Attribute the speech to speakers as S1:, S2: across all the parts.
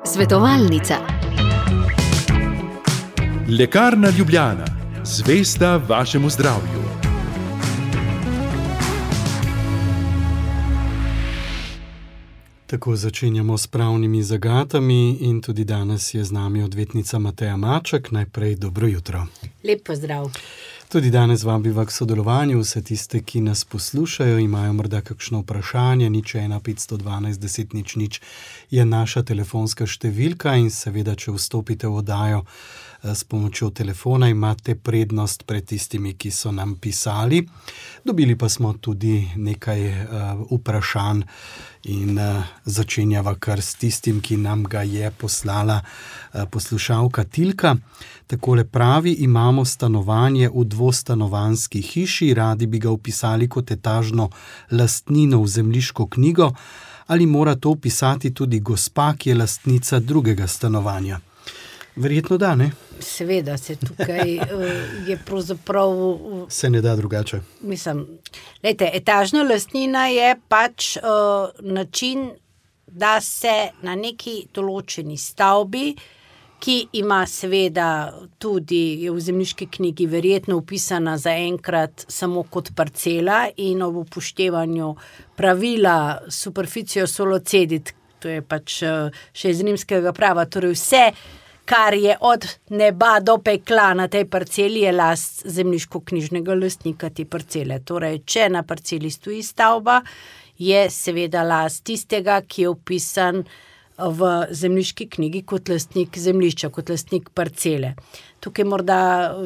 S1: Svetovalnica.
S2: Lekarna Ljubljana, zvesta vašemu zdravju.
S3: Tako začenjamo s pravnimi zagatami in tudi danes je z nami odvetnica Mateja Maček. Najprej dobro jutro.
S4: Lep pozdrav.
S3: Tudi danes vabiva k sodelovanju vse tiste, ki nas poslušajo, imajo morda kakšno vprašanje, 01 512 10 00 je naša telefonska številka in seveda, če vstopite v oddajo s pomočjo telefona, imate prednost pred tistimi, ki so nam pisali. Dobili pa smo tudi nekaj vprašanj in začenjava kar s tistim, ki nam ga je poslala poslušalka Tilka. Takole pravi: imamo stanovanje v dvostanovanjski hiši, radi bi ga vpisali kot etažno lastnino v zemljiško knjigo, ali mora to vpisati tudi gospa, ki je lastnica drugega stanovanja? Verjetno da, ne?
S4: Seveda se tukaj je pravzaprav...
S3: Se ne da drugače.
S4: Mislim, glejte, etažna lastnina je pač način, da se na neki določeni stavbi, ki ima seveda tudi v zemljiški knjigi verjetno vpisana zaenkrat samo kot parcela in ob upoštevanju pravila superficio solo cedit, to je pač še iz rimskega prava, torej vse, kar je od neba do pekla na tej parceli, je last zemljiško-knjižnega lastnika te parcele. Torej, če na parceli stoji stavba, je seveda last tistega, ki je vpisan v zemljiški knjigi kot lastnik zemljišča, kot lastnik parcele. Tukaj morda,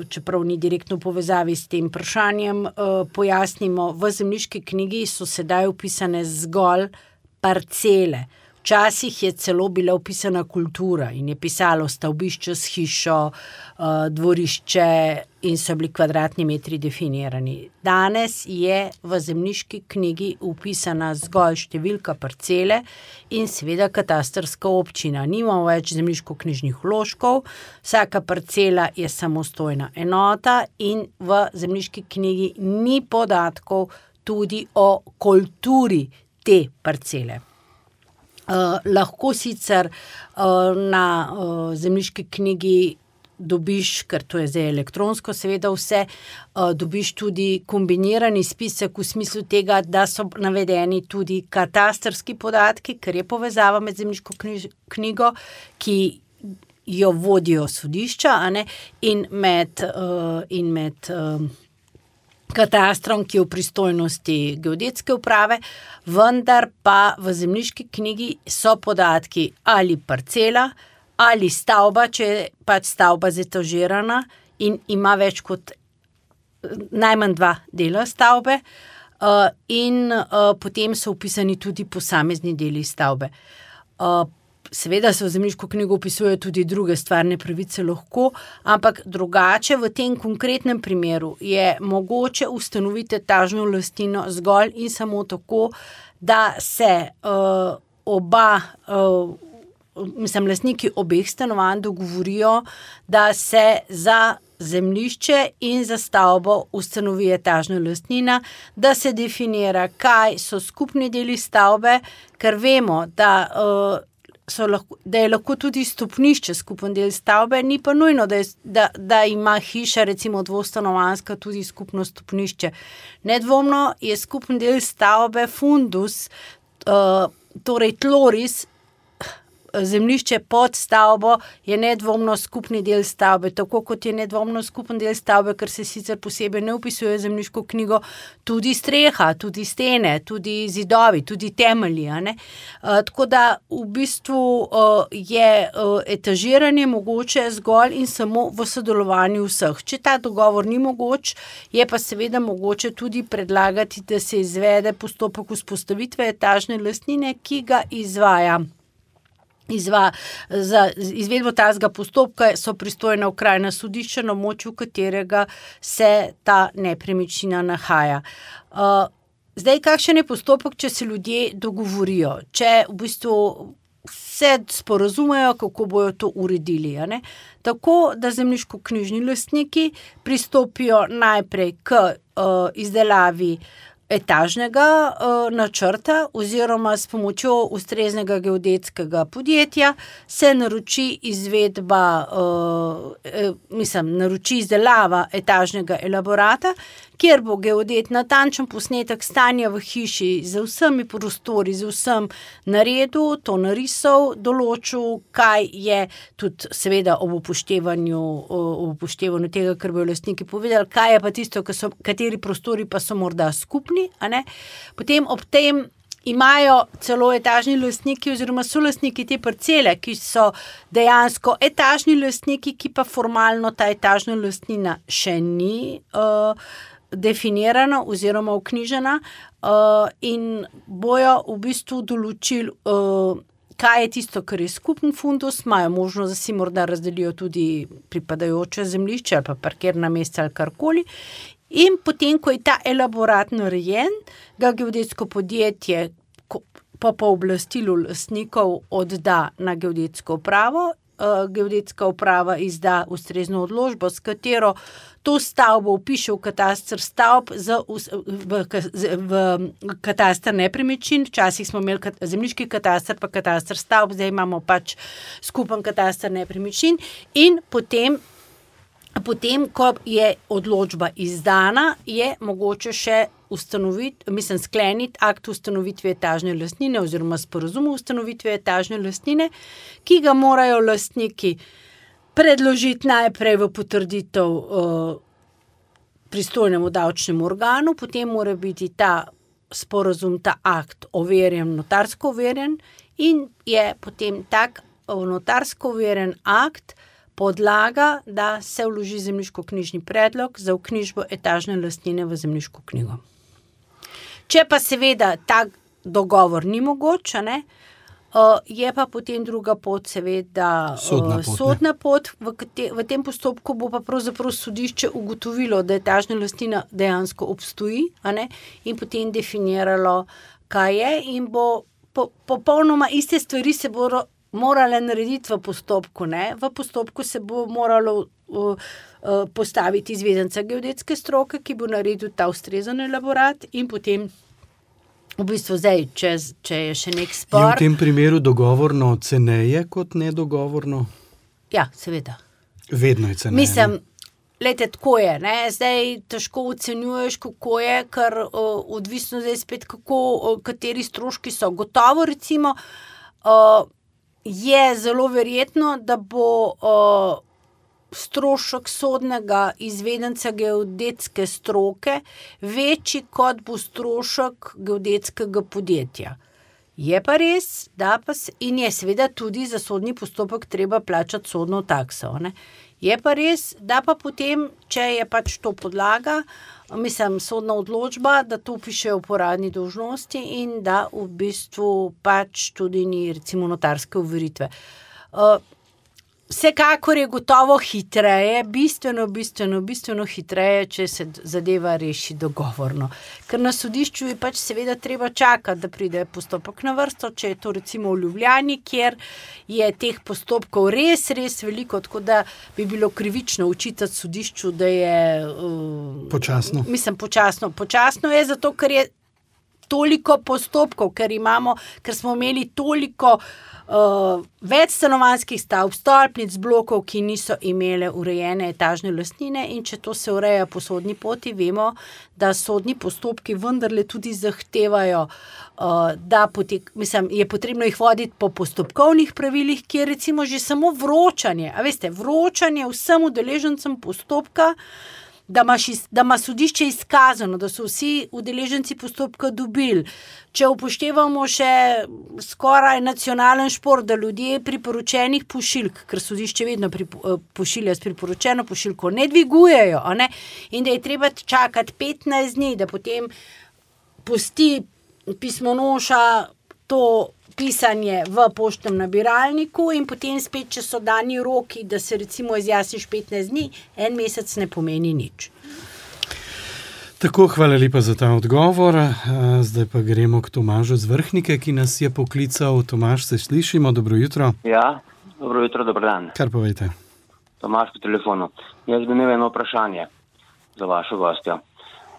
S4: čeprav ni direktno v povezavi s tem vprašanjem, pojasnimo, v zemljiški knjigi so sedaj vpisane zgolj parcele. Včasih je celo bila vpisana kultura in je pisalo stavbišče s hišo, dvorišče in so bili kvadratni metri definirani. Danes je v zemljiški knjigi vpisana zgolj številka parcele in seveda katastrska občina. Nimamo več zemljiško-knjižnih vložkov, vsaka parcela je samostojna enota in v zemljiški knjigi ni podatkov tudi o kulturi te parcele. Lahko sicer na zemljiški knjigi dobiš, ker to je zdaj elektronsko seveda vse, dobiš tudi kombinirani spisek v smislu tega, da so navedeni tudi katastrski podatki, ker je povezava med zemljiško knjigo, ki jo vodijo sodišča, a ne, in med katastrom, ki je v pristojnosti geodetske uprave, vendar pa v zemljiški knjigi so podatki ali parcela, ali stavba, če je pač stavba zetažirana in ima več kot najmanj 2 dela stavbe, in potem so vpisani tudi posamezni deli stavbe. Seveda se v zemljiško knjigo vpisujejo tudi druge stvarne pravice lahko, ampak drugače v tem konkretnem primeru je mogoče ustanoviti etažno lastnino zgolj in samo tako, da se lastniki obeh stanovanj dogovorijo, da se za zemljišče in za stavbo ustanovi etažna lastnina, da se definira, kaj so skupni deli stavbe, ker vemo, da je lahko tudi stopnišče skupen del stavbe, ni pa nujno, da ima hiša, recimo dvostanovanjska, tudi skupno stopnišče. Nedvomno je skupen del stavbe fundus, torej tloris, zemljišče pod stavbo je nedvomno skupni del stavbe, tako kot je nedvomno skupen del stavbe, ker se sicer posebej ne vpisuje v zemljiško knjigo, tudi streha, tudi stene, tudi zidovi, tudi temelji, a ne. Tako da v bistvu je etažiranje mogoče zgolj in samo v sodelovanju vseh. Če ta dogovor ni mogoč, je pa seveda mogoče tudi predlagati, da se izvede postopek vzpostavitve etažne lastnine, ki ga izvaja. Za izvedbo tazga postopka so pristojna okrajna sodišča, na območju katerega se ta nepremičnina nahaja. Zdaj, kakšen je postopek, če se ljudje dogovorijo? Če v bistvu se sporazumejo, kako bojo to uredili, a ne? Tako, da zemljiško-knjižni lastniki pristopijo najprej k izdelavi etažnega načrta oziroma s pomočjo ustreznega geodetskega podjetja se naroči naroči izdelava etažnega elaborata, kjer bo geodet natančen posnetek stanja v hiši z vsemi prostori, z vsem naredil, to narisal, določil, kaj je tudi seveda ob upoštevanju tega, kar bojo lastniki povedali, kaj je pa tisto, kateri prostori pa so morda skupni, a ne. Potem ob tem imajo celo etažni lastniki oziroma solastniki te parcele, ki so dejansko etažni lastniki, ki pa formalno ta etažna lastnina še ni definirana oziroma vknjižena in bojo v bistvu določili, kaj je tisto, kar je skupen fundus, imajo možnost, da si morda razdelijo tudi pripadajoče zemljišče ali pa parkirna mesta ali karkoli. In potem, ko je ta elaborat narejen, ga geodetsko podjetje po pooblastilu lastnikov odda na geodetsko upravo. Geodetska uprava izda ustrezno odločbo, s katero to stavbo vpiše v kataster stavb v kataster nepremičnin. Včasih smo imeli zemljiški kataster pa kataster stavb, zdaj imamo pač skupen kataster nepremičnin in potem, ko je odločba izdana, je mogoče še skleniti akt ustanovitve etažne lastnine oziroma sporazum o ustanovitvi etažne lastnine, ki ga morajo lastniki predložiti najprej v potrditev pristojnemu davčnemu organu, potem mora biti ta sporazum, ta akt overjen, notarsko overjen in je potem tak notarsko overjen akt podlaga, da se vloži zemljiškoknjižni predlog za vknjižbo etažne lastnine v zemljiško knjigo. Če pa seveda tak dogovor ni mogoč, ne, je pa potem druga pot seveda sodna pot. V tem postopku bo pa pravzaprav sodišče ugotovilo, da etažna lastnina dejansko obstoji, a ne, in potem definiralo, kaj je in bo popolnoma iste stvari se bodo morale narediti v postopku, ne. V postopku se bo moralo postaviti izvedenca geodetske stroke, ki bo naredil ta ustrezen elaborat in potem v bistvu zdaj, če je še nek spor.
S3: Je v tem primeru dogovorno ceneje kot nedogovorno?
S4: Ja, seveda.
S3: Vedno je ceneje.
S4: Mislim, glejte, tako je, ne, zdaj težko ocenjuješ, kako je, ker odvisno zdaj spet, kateri stroški so. Gotovo recimo je zelo verjetno, da bo strošek sodnega izvedenca geodetske stroke večji, kot bo strošek geodetskega podjetja. Je pa res, in je seveda tudi za sodni postopek treba plačati sodno takso, ne. Je pa res, da pa potem, če je pač to podlaga, sodna odločba, da to pišejo po uradni dolžnosti in da v bistvu pač tudi ni recimo notarske overitve. Vsekakor je gotovo hitreje, bistveno hitreje, če se zadeva reši dogovorno. Ker na sodišču je pač seveda treba čakati, da pride postopek na vrsto, če je to recimo v Ljubljani, kjer je teh postopkov res veliko, tako da bi bilo krivično očitati sodišču, da je
S3: počasno.
S4: Počasno je zato, ker je toliko postopkov, ker smo imeli toliko več stanovanjskih stavb, stolpnic, blokov, ki niso imele urejene etažne lastnine in če to se ureja po sodni poti, vemo, da sodni postopki vendarle tudi zahtevajo, da je potrebno jih voditi po postopkovnih pravilih, ki je recimo že samo vročanje, vročanje vsem udeležencem postopka, da ima sodišče izkazano, da so vsi udeleženci postopka dobili. Če upoštevamo še skoraj nacionalen šport, da ljudje priporočenih pošiljk, ker sodišče vedno pošilja s priporočeno pošiljko, ne dvigujejo, a ne? In da je treba čakati 15 dni, da potem pusti pismonoša to pisanje v poštnem nabiralniku in potem spet, če so dani roki, da se recimo izjasniš 15 dni, en mesec ne pomeni nič.
S3: Tako, hvala lepa za ta odgovor. Zdaj pa gremo k Tomažu z Vrhnike, ki nas je poklical. Tomaž, se slišimo, dobro jutro.
S1: Ja, dobro jutro, dober dan.
S3: Kar povejte.
S1: Tomaž po telefonu. Jaz bi imel eno vprašanje za vašo gostjo.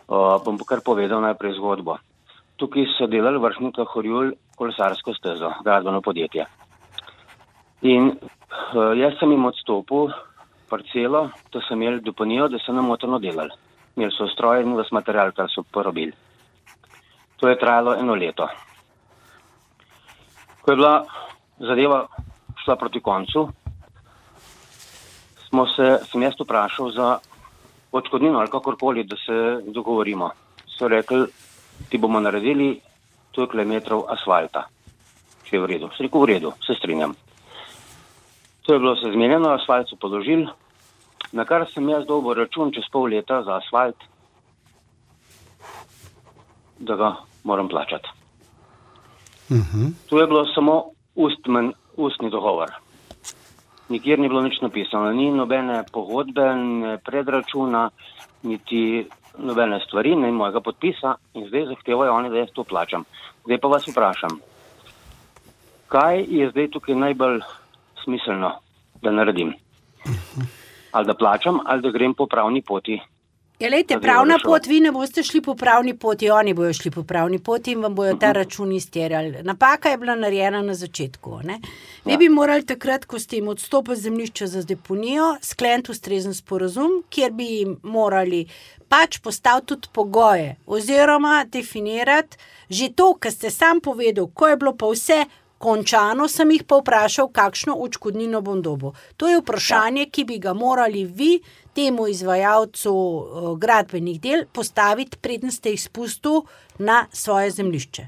S1: Bom kar povedal najprej zgodbo. Tukaj so delali Vršnika Horjul kolesarsko stezo, gradbeno podjetje. In jaz sem jim odstopil parcelo, da so imeli dopolnijo, da so namotrno delali. Imeli so stroj in vas material, kar so porabili. To je trajalo 1 leto. Ko je bila zadeva šla proti koncu, sem jaz vprašal za odškodnino ali kakorkoli, da se dogovorimo. So rekli, ti bomo naredili toliko metrov asfalta, če je v redu. Se rekel, v redu, se strinjam. To je bilo se zmenjeno, asfalt so položili, na kar sem jaz dobil račun čez pol leta za asfalt, da ga moram plačati. To je bilo samo ustni dogovor. Nikjer ni bilo nič napisano, ni nobene pogodbe, ne predračuna, niti nobene stvari, ne mojega podpisa in zdaj zahtevajo oni, da jaz to plačam. Zdaj pa vas vprašam, kaj je zdaj tukaj najbolj smiselno, da naredim? Ali da plačam, ali da grem po pravni poti?
S4: Ja, lejte, pravna pot, vi ne boste šli po pravni poti, oni bojo šli po pravni poti in vam bojo ta račun izterjali. Napaka je bila narejena na začetku. Ne? Vi bi morali takrat, ko ste jim odstopili zemljišče za deponijo, skleniti ustrezen sporazum, kjer bi jim morali pač postaviti tudi pogoje oziroma definirati že to, kar ste sam povedal, ko je bilo pa vse končano, sem jih pa vprašal, kakšno odškodnino bom dobil. To je vprašanje, ki bi ga morali vi temu izvajalcu gradbenih del postaviti, preden ste jih spustil na svoje zemljišče.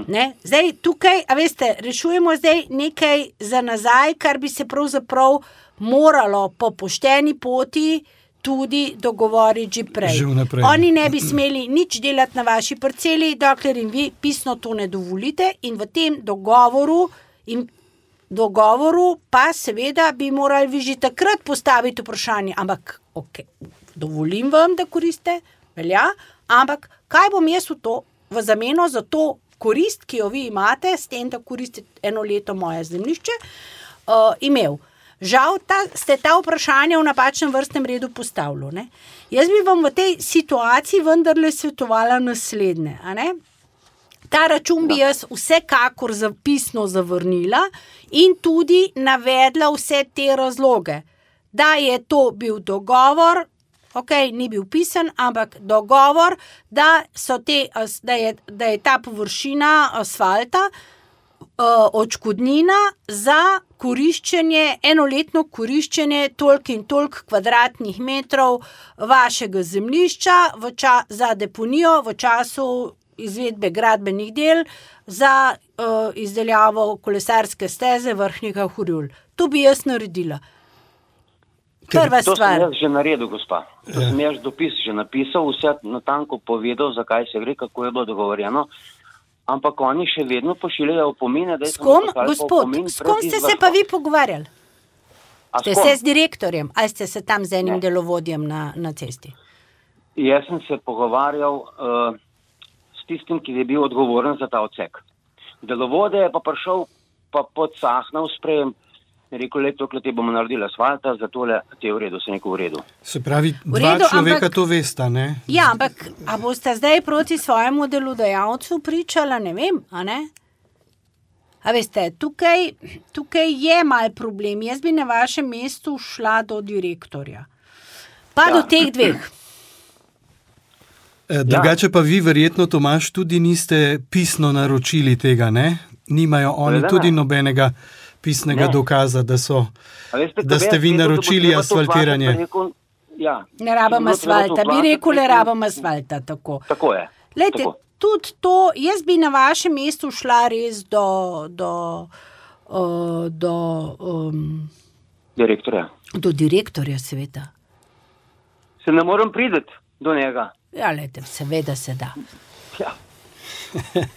S4: Ne? Zdaj tukaj, a veste, rešujemo zdaj nekaj za nazaj, kar bi se pravzaprav moralo po pošteni poti tudi dogovoriti že prej. Oni ne bi smeli nič delati na vaši parceli, dokler jim vi pisno to ne dovolite in v tem dogovoru pa seveda bi morali vi že takrat postaviti vprašanje, ampak ok, dovolim vam, da koriste, velja, ampak kaj bom jaz v zameno za to korist, ki jo vi imate, s tem, da koristite 1 leto moje zemljišče, imel. Žal ste ta vprašanja v napačnem vrstnem redu postavili. Ne? Jaz bi vam v tej situaciji vendarle svetovala naslednje. A ne? Ta račun bi jaz vsekakor zapisno zavrnila in tudi navedla vse te razloge. Da je to bil dogovor, ok, ni bil pisan, ampak dogovor, da je ta površina asfalta odškodnina za koriščenje, 1-letno koriščenje toliko in toliko kvadratnih metrov vašega zemljišča za deponijo v času izvedbe gradbenih del za izdeljavo kolesarske steze Vršnika Horjul. To bi jaz naredila. Prva stvar.
S1: To sem jaz že naredil, gospa. To sem jaz dopis že napisal, vse natanko povedal, zakaj se gre, kako je bilo dogovorjeno. Ampak oni še vedno pošiljajo opomine, da je
S4: s kom ste se pa vi pogovarjali? Ste se z direktorjem ali ste se tam z enim delovodjem na cesti?
S1: Jaz sem se pogovarjal s tistim, ki je bil odgovoren za ta odsek. Delovode je pa prišel pa podsahnal sprejem, rekel, tukaj ti bomo naredili asfalta, zato ti je v redu, se neko v redu.
S3: Se pravi, dva človeka to vesta, ne?
S4: Ja, ampak a boste zdaj proti svojemu delodajalcu pričala, ne vem, a ne? A veste, tukaj je mal problem. Jaz bi na vašem mestu šla do direktorja. Pa do teh dveh.
S3: Drugače pa vi verjetno, Tomaž, tudi niste pisno naročili tega, ne? Nimajo oni tudi nobenega pisnega dokaza, da ste vi naročili asfaltiranje.
S4: Ne rabam asfalta, bi rekel, ne rabam asfalta, tako.
S1: Tako je.
S4: Lejte, tudi to, jaz bi na vašem mestu šla res do
S1: direktorja.
S4: Do direktorja, seveda.
S1: Se ne morem priti do njega.
S4: Ja, lejte, seveda se da.
S1: Ja.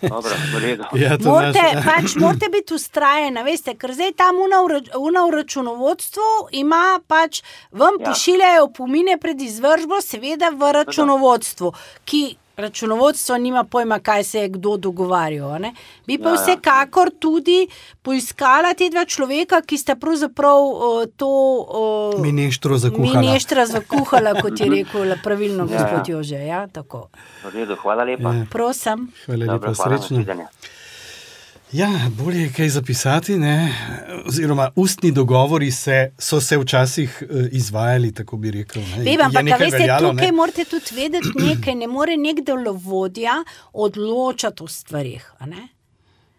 S1: Dobro, v redu.
S4: Morate biti ustrajeni, veste, ker zdaj tam v računovodstvu ima pač, vam pošiljajo opomine pred izvršbo, seveda v računovodstvu, ki računovodstvo nima pojma, kaj se je kdo dogovarjal. Ne? Bi pa vsekakor tudi poiskala te dva človeka, ki sta pravzaprav to
S3: mineštro
S4: zakuhala, kot je rekel pravilno gospod Jože. Ja, tako.
S1: V redu, hvala lepa.
S4: Prosim.
S3: Hvala lepa, srečno. Ja, bolje je kaj zapisati, ne? Oziroma ustni dogovori so se včasih izvajali, tako bi rekel.
S4: Ampak veste, tukaj morate tudi vedeti nekaj, ne more nek delovodja odločati o stvarih.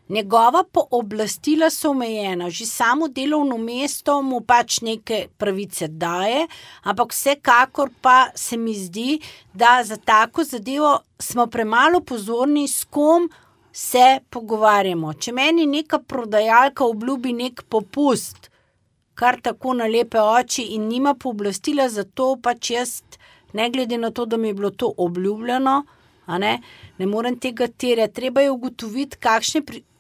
S4: Njegova pooblastila so omejena, že samo delovno mesto mu pač neke pravice daje, ampak vsekakor pa se mi zdi, da za tako zadevo smo premalo pozorni, s kom se pogovarjamo. Če meni neka prodajalka obljubi nek popust, kar tako na lepe oči in nima pooblastila za to, pač jaz, ne glede na to, da mi je bilo to obljubljeno, ne morem tega terjati. Treba je ugotoviti,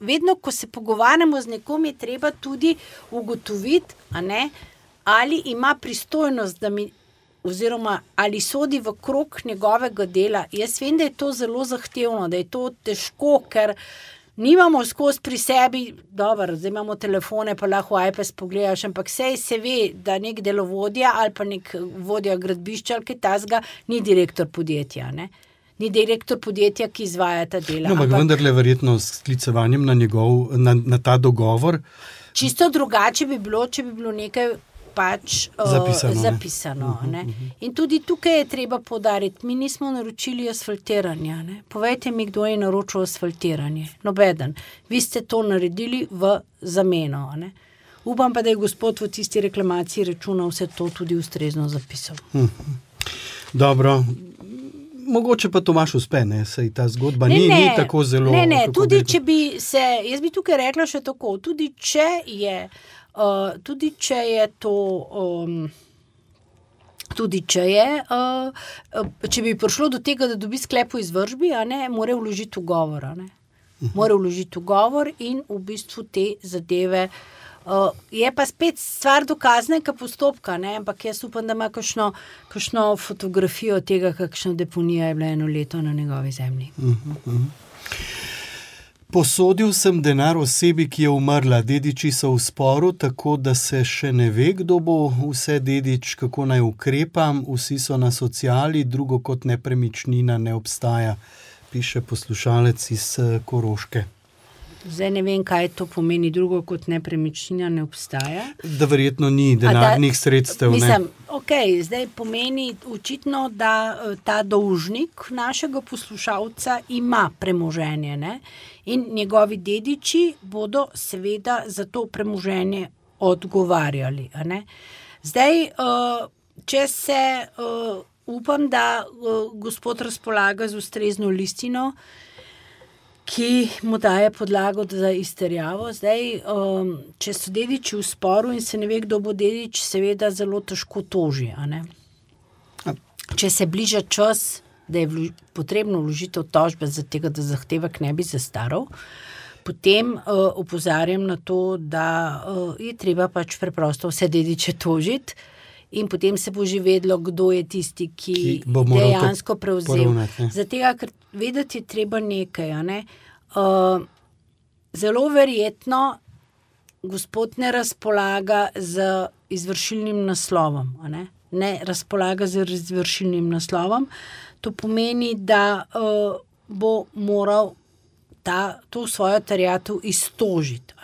S4: vedno, ko se pogovarjamo z nekom, je treba tudi ugotoviti, ali ima pristojnost, da mi oziroma ali sodi v krog njegovega dela. Jaz vem, da je to zelo zahtevno, da je to težko, ker nimamo skozi pri sebi, dobro, zdaj imamo telefone, pa lahko iPad pogledaš, ampak se ve, da nek delovodja ali pa nek vodja gradbišča ali kaj tasga ni direktor podjetja, Ni direktor podjetja, ki izvaja ta dela.
S3: No, ampak vendarle verjetno s sklicevanjem na ta dogovor.
S4: Čisto drugače bi bilo, če bi bilo nekaj pač zapisano. In tudi tukaj je treba poudariti, mi nismo naročili asfaltiranja. Povejte mi, kdo je naročil asfaltiranje. Nobeden. Vi ste to naredili v zameno. Upam pa, da je gospod v tisti reklamaciji računal vse to tudi ustrezno zapisal.
S3: Dobro. Mogoče pa Tomaž uspe, saj ta zgodba ni tako zelo...
S4: Ne, tudi če bi se, jaz bi tukaj rekla še tako, tudi če je to, če bi prišlo do tega, da dobi sklep o izvršbi, mora vložiti ugovor, Mora vložiti ugovor in v bistvu te zadeve... je pa spet stvar dokaznega postopka, ampak jaz upam, da ima kakšno fotografijo tega, kakšna deponija je bila 1 leto na njegovi zemlji.
S3: Posodil sem denar osebi, ki je umrla. Dediči so v sporu, tako da se še ne ve, kdo bo vse dedič, kako naj ukrepam. Vsi so na sociali, drugo kot nepremičnina ne obstaja, piše poslušalec iz Koroške.
S4: Zdaj ne vem, kaj to pomeni, drugo kot nepremičnina ne obstaja.
S3: Da verjetno ni denarnih sredstev.
S4: Mislim, zdaj pomeni očitno, da ta dolžnik našega poslušalca ima premoženje, in njegovi dediči bodo seveda za to premoženje odgovarjali. Zdaj, če se upam, da gospod razpolaga z ustrezno listino, ki mu daje podlago za izterjavo. Zdaj, če so dediči v sporu in se ne ve, kdo bo dedič, seveda zelo težko toži. Če se bliža čas, da je potrebno vložitev tožbe za tega, da zahtevek ne bi zastaral, potem opozarjam na to, da je treba pač preprosto vse dediče tožiti in potem se bo že vedlo, kdo je tisti, ki dejansko prevzel. Zato, ker vedeti je treba nekaj. Zelo verjetno gospod ne razpolaga z izvršilnim naslovom. Ne razpolaga z izvršilnim naslovom. To pomeni, da bo moral to svojo terjatev iztožiti.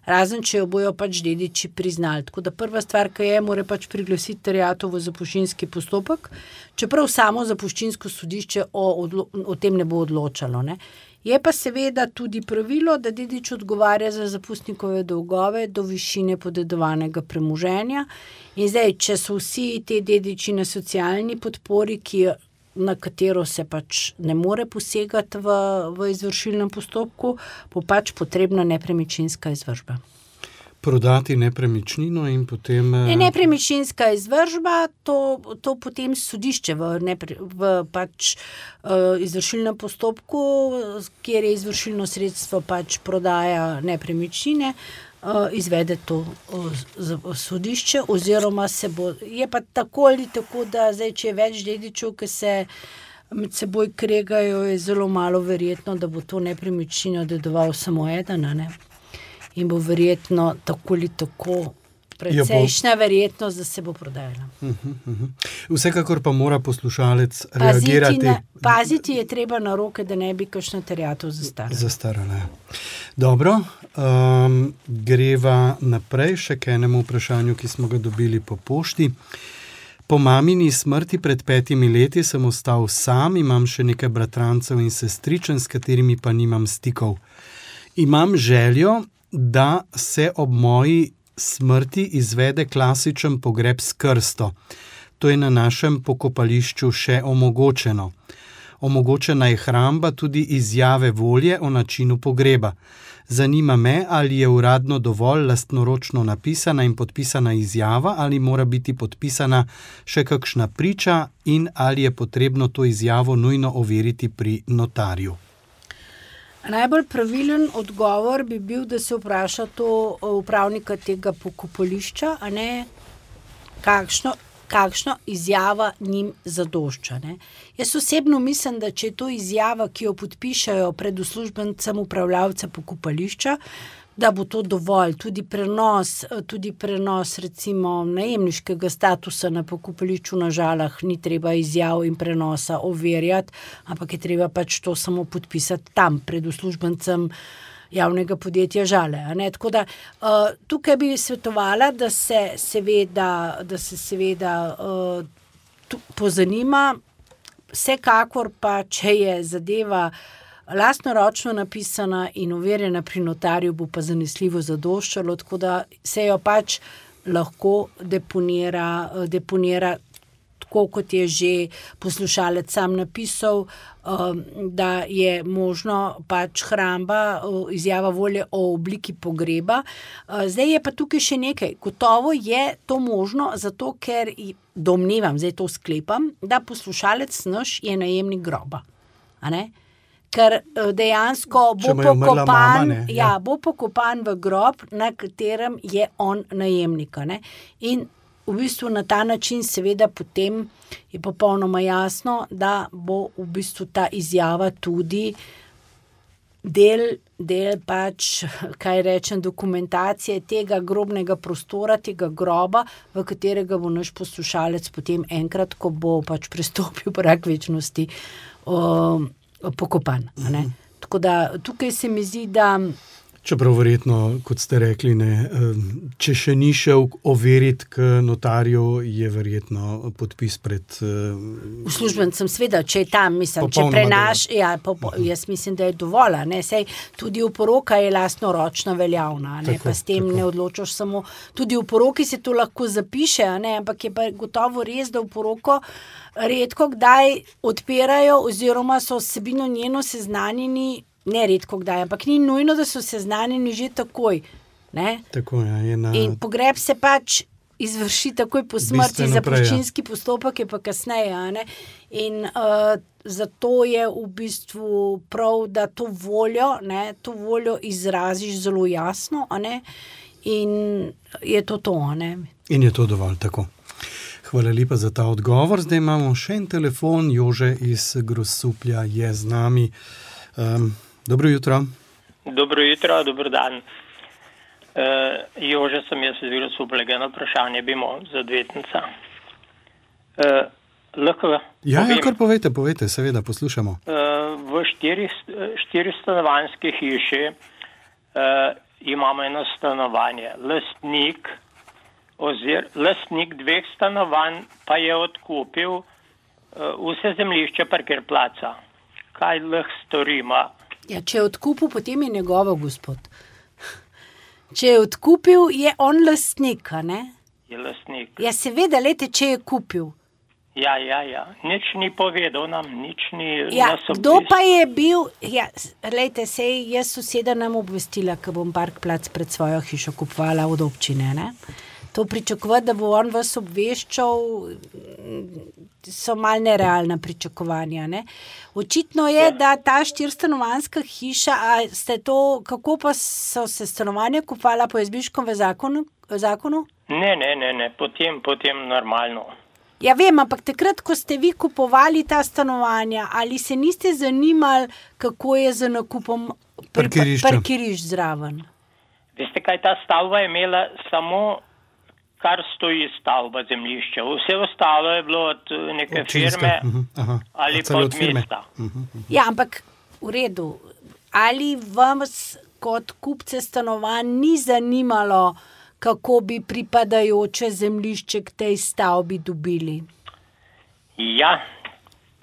S4: Razen, če jo bojo pač dediči priznali. Tako da prva stvar, ki mora pač priglasiti terjatev v zapuščinski postopek, čeprav samo zapuščinsko sodišče o tem ne bo odločalo. Je pa seveda tudi pravilo, da dedič odgovarja za zapustnikove dolgove do višine podedovanega premoženja. In zdaj, če so vsi te dediči na socialni podpori, na katero se pač ne more posegati v izvršilnem postopku, bo pač potrebna nepremičninska izvršba.
S3: Prodati nepremičnino in potem...
S4: Nepremičninska izvršba, to potem sodišče v pač izvršilnem postopku, kjer je izvršilno sredstvo pač prodaja nepremičnine, izvede to sodišče, oziroma je pa tako ali tako, da zdaj, če je več dedičev, ki se med seboj kregajo, je zelo malo verjetno, da bo to nepremičnino dedoval samo eden, ne? In bo verjetno tako ali tako precejšnja verjetnost, da se bo prodajala.
S3: Vsekakor pa mora poslušalec reagirati.
S4: Paziti je treba na roke, da ne bi kakšna terjatev
S3: zastarala. Dobro, greva naprej še k enemu vprašanju, ki smo ga dobili po pošti. Po mamini smrti pred 5 leti sem ostal sam, imam še nekaj bratrancev in sestričen, s katerimi pa nimam stikov. Imam željo, da se ob moji smrti izvede klasičen pogreb s krsto. To je na našem pokopališču še omogočeno. Omogočena je hramba tudi izjave volje o načinu pogreba. Zanima me, ali je uradno dovolj lastnoročno napisana in podpisana izjava, ali mora biti podpisana še kakšna priča in ali je potrebno to izjavo nujno overiti pri notarju.
S4: Najbolj pravilen odgovor bi bil, da se vpraša to upravnika tega pokopališča, a ne kakšno izjava njim zadošča. Ne? Jaz osebno mislim, da če je to izjava, ki jo podpišajo pred uslužbencem upravljavca pokopališča, da bo to dovolj. Tudi prenos recimo najemniškega statusa na pokopališču na Žalah ni treba izjav in prenosa overjati, ampak je treba pač to samo podpisati tam pred uslužbencem javnega podjetja Žale. A ne? Tako da tukaj bi svetovala, da se seveda pozanima, vsekakor pa, če je zadeva lastnoročno napisana in overjena pri notarju, bo pa zanesljivo zadoščalo, tako da se jo pač lahko deponira tako, kot je že poslušalec sam napisal, da je možno pač hramba, izjava volje o obliki pogreba. Zdaj je pa tukaj še nekaj. Gotovo je to možno, zato ker domnevam, zdaj to sklepam, da poslušalec naš je najemnik groba. A ne? Ker dejansko bo pokopan v grob, na katerem je on najemnik. Ne? In v bistvu na ta način seveda potem je popolnoma jasno, da bo v bistvu ta izjava tudi del pač, kaj rečem, dokumentacije tega grobnega prostora, tega groba, v katerega bo naš poslušalec potem enkrat, ko bo pač prestopil prag večnosti, pokopan. Ne? Tako da tukaj se mi zdi, da
S3: čeprav verjetno, kot ste rekli, če še ni šel overiti k notarju, je verjetno podpis pred
S4: uslužbencem, seveda, če je tam, mislim, če prenaš, jaz mislim, da je dovolj, ne, sej tudi oporoka je lastnoročna veljavna, ne, tako, pa s tem ne odločaš samo, tudi v poroki se to lahko zapiše, ne, ampak je pa gotovo res, da v poroko redko kdaj odpirajo oziroma so vsebino njeno seznanjeni, ne redko kdaj, ampak ni nujno, da so seznanjeni že takoj. Ne?
S3: Tako je.
S4: In pogreb se pač izvrši takoj po smrti, zapuščinski postopek je pa kasneje. Ne? In zato je v bistvu prav, da to voljo izraziš zelo jasno, a ne? In je to. Ne?
S3: In je to dovolj, tako. Hvala lepa za ta odgovor. Zdaj imamo še en telefon. Jože iz Grosuplja je z nami. Dobro jutro.
S5: Dobro jutro, dober dan. Jože sem jaz iz Grosuplja, eno vprašanje bi imel za odvetnica. Lahko
S3: ja, kar povejte, seveda, poslušamo.
S5: V 4 stanovanjski hiši imamo eno stanovanje. Lastnik 2 stanovanj pa je odkupil vse zemljišče parkir placa. Kaj lahko storimo?
S4: Ja, če je odkupil, potem je njegovo, gospod. Če je odkupil, je on lastnik, ne?
S5: Je lastnik.
S4: Ja, seveda, lejte, če je kupil.
S5: Ja. Nič ni povedal nam, nič ni nas obvestil.
S4: Kdo pa je bil? Ja, lejte, sej jaz soseda nam obvestila, ko bom park plac pred svojo hišo kupovala od občine, ne? To pričakovati, da bo on vas obveščal, so malo nerealna pričakovanja. Ne? Očitno je, da ta 4-stanovanjska hiša, kako pa so se stanovanja kupovala po Jazbinškovem zakonu?
S5: Ne, potem normalno.
S4: Ja, vem, ampak takrat, ko ste vi kupovali ta stanovanja, ali se niste zanimali, kako je z nakupom parkirišč zraven?
S5: Veste kaj, ta stavba je imela samo, kar stoji stavba zemljišča. Vse ostalo je bilo od neke firme ali pa od mesta.
S4: Ja, ampak v redu. Ali vas kot kupce stanovanj ni zanimalo, kako bi pripadajoče zemljišče k tej stavbi dobili?
S5: Ja,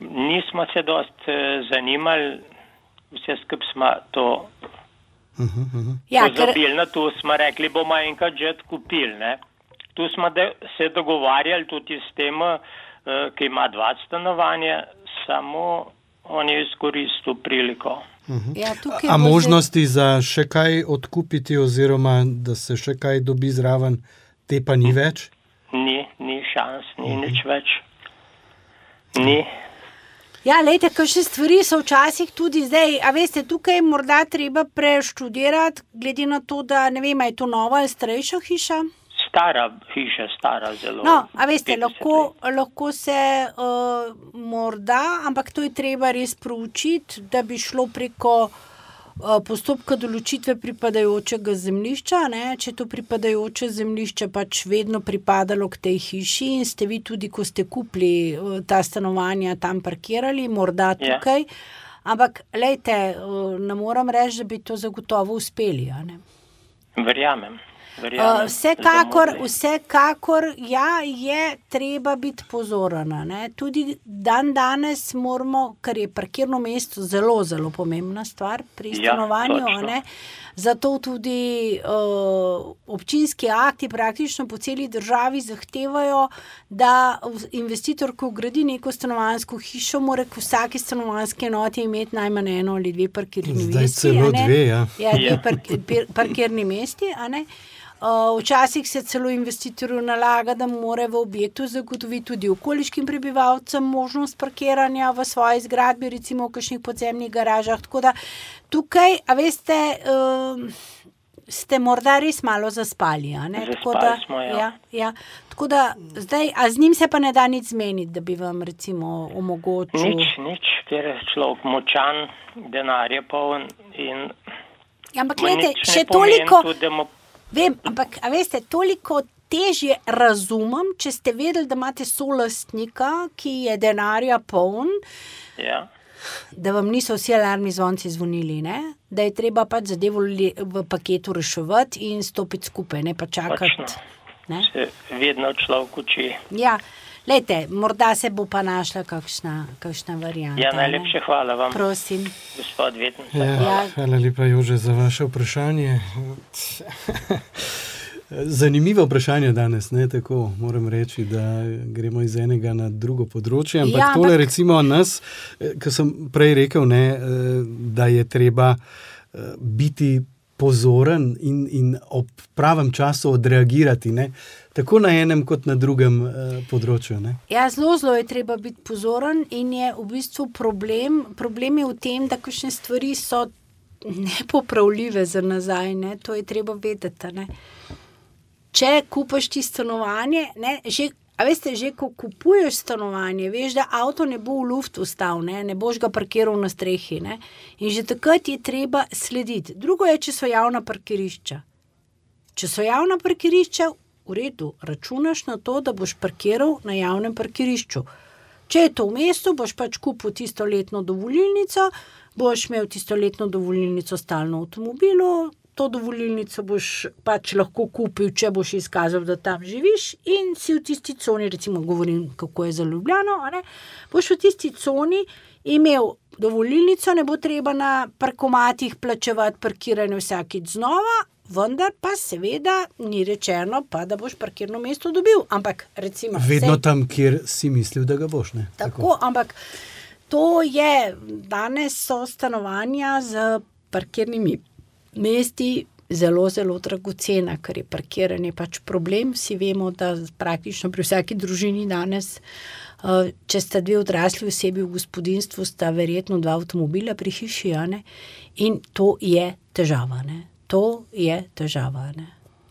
S5: nismo se dosti zanimali, vse skup smo to pozabili na to, smo rekli, bomo enkrat že kupili, ne. Tu smo se dogovarjali tudi s tem, ki ima 2 stanovanja, samo on je izkoristil priliko.
S4: Ja,
S3: a možnosti za še kaj odkupiti oziroma da se še kaj dobi zraven, te pa ni več?
S5: Ni šans, ni nič več. Ni.
S4: Ja, lejte, kakšne stvari so včasih tudi zdaj, a veste, tukaj morda treba preštudirati, glede na to, da ne vem, je to nova ali starejša hiša?
S5: Stara hiša, stara zelo.
S4: No, a veste, lahko se morda, ampak to je treba res proučiti, da bi šlo preko postopka določitve pripadajočega zemljišča, ne? Če to pripadajoče zemljišče pač vedno pripadalo k tej hiši in ste vi tudi, ko ste kupili ta stanovanja, tam parkirali, morda tukaj, ampak lejte, ne moram reči, da bi to zagotovo uspeli, a ne?
S5: Verjamem.
S4: Vsekakor, ja, je treba biti pozoren, ne? Tudi danes moramo, ker je parkirno mesto zelo, zelo pomembna stvar pri stanovanju, ne? Zato tudi občinski akti praktično po celi državi zahtevajo, da investitor, ko gradi neko stanovanjsko hišo, mora k vsaki stanovanjski enoti imeti najmanj 1 ali 2 parkirni mesti.
S3: Zdaj celo 2, ja.
S4: Ja, 2 parkirni mesti, a ne? Včasih se celo investitorju nalaga, da mora v objektu zagotoviti tudi okoliškim prebivalcem možnost parkiranja v svoji zgradbi, recimo v kakšnih podzemnih garažah. Tako da tukaj, a veste, ste morda res malo zaspali, a ne?
S5: Zaspali smo, ja.
S4: Ja. Tako da zdaj, a z njim se pa ne da nič zmeniti, da bi vam recimo omogočil?
S5: Nič, ker je človek močan, denar je poln in
S4: ampak gledajte, še toliko... Vem, ampak, a veste, toliko težje razumem, če ste vedeli, da imate solastnika, ki je denarja poln, da vam niso vsi alarmni zvonci zvonili, ne? Da je treba pač zadevo v paketu reševati in stopiti skupaj, ne pa čakati. Ne?
S5: Se vedno človek uči.
S4: Ja, lejte, morda se bo pa našla kakšna varianta.
S5: Ja, najlepše hvala vam.
S4: Prosim.
S5: Gospod Vetnica.
S3: Ja, hvala lepa, Jože, za vaše vprašanje. Zanimivo vprašanje danes, ne, tako moram reči, da gremo iz enega na drugo področje, ampak tole recimo nas, ko sem prej rekel, ne, da je treba biti pozoren in ob pravem času odreagirati, ne, tako na enem kot na drugem področju, ne.
S4: Ja, zelo je treba biti pozoren in je v bistvu problem je v tem, da kakšne stvari so nepopravljive za nazaj, ne, to je treba vedeti, ne. Če kupaš ti stanovanje, ne, a veste, že ko kupuješ stanovanje, veš, da avto ne bo v luftu ostal, ne boš ga parkiral na strehi, ne, in že takrat je treba slediti. Drugo je, če so javna parkirišča. Če so javna parkirišča, v redu, računaš na to, da boš parkiral na javnem parkirišču. Če je to v mestu, boš pač kupil tisto letno dovolilnico, boš imel tisto letno dovolilnico stalno v avtomobilu, to dovolilnico boš pač lahko kupil, če boš izkazal, da tam živiš in si v tisti coni, recimo govorim, kako je za Ljubljano, a ne, boš v tisti coni imel dovolilnico, ne bo treba na parkomatih plačevati parkiranje vsakič znova, vendar pa seveda ni rečeno pa, da boš parkirno mesto dobil, ampak recimo...
S3: Vedno tam, kjer si mislil, da ga boš, ne?
S4: Tako, ampak to je, danes so stanovanja z parkirnimi mesti zelo, zelo dragocena, ker je parkiranje pač problem. Vsi vemo, da praktično pri vsaki družini danes, če sta 2 odrasli osebi v gospodinjstvu, sta verjetno 2 avtomobila pri hiši, ne? In to je težava, ne? To je težava, ne?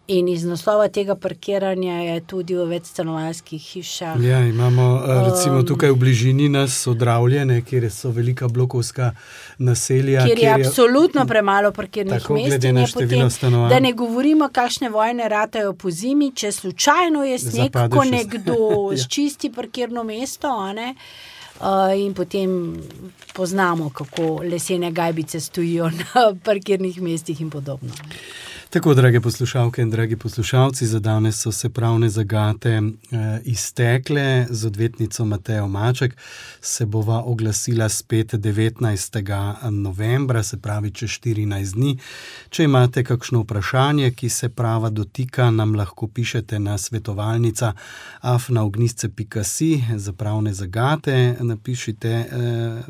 S4: In iz naslova tega parkiranja je tudi v večstanovanjskih hišah.
S3: Ja, imamo recimo tukaj v bližini nas Odravljene, kjer so velika blokovska naselja.
S4: Kjer je absolutno premalo parkirnih
S3: tako,
S4: mest.
S3: Glede na število stanovanj.
S4: Da ne govorimo, kakšne vojne ratajo po zimi, če slučajno je sneg, ko nekdo sčisti parkirno mesto, a ne? In potem poznamo, kako lesene gajbice stojijo na parkirnih mestih in podobno.
S3: Tako, drage poslušalke in dragi poslušalci, za danes so se pravne zagate iztekle. Z odvetnico Matejo Maček se bova oglasila spet 19. novembra, se pravi čez 14 dni. Če imate kakšno vprašanje, ki se prava dotika, nam lahko pišete na svetovalnica@ognjišče.si. Za pravne zagate napišite,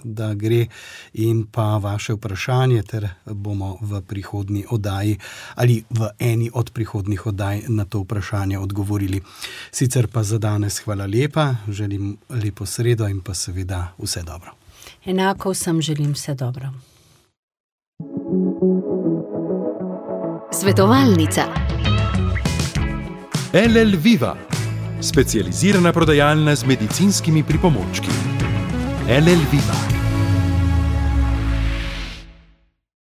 S3: da gre, in pa vaše vprašanje, ter bomo v prihodnji oddaji ali v eni od prihodnjih oddaj na to vprašanje odgovorili. Sicer pa za danes hvala lepa, želim lepo sredo in pa seveda vse dobro.
S4: Enako vsem želim vse dobro.
S6: Svetovalnica.
S2: LL Viva, specializirana prodajalna z medicinskimi pripomočki. LL Viva.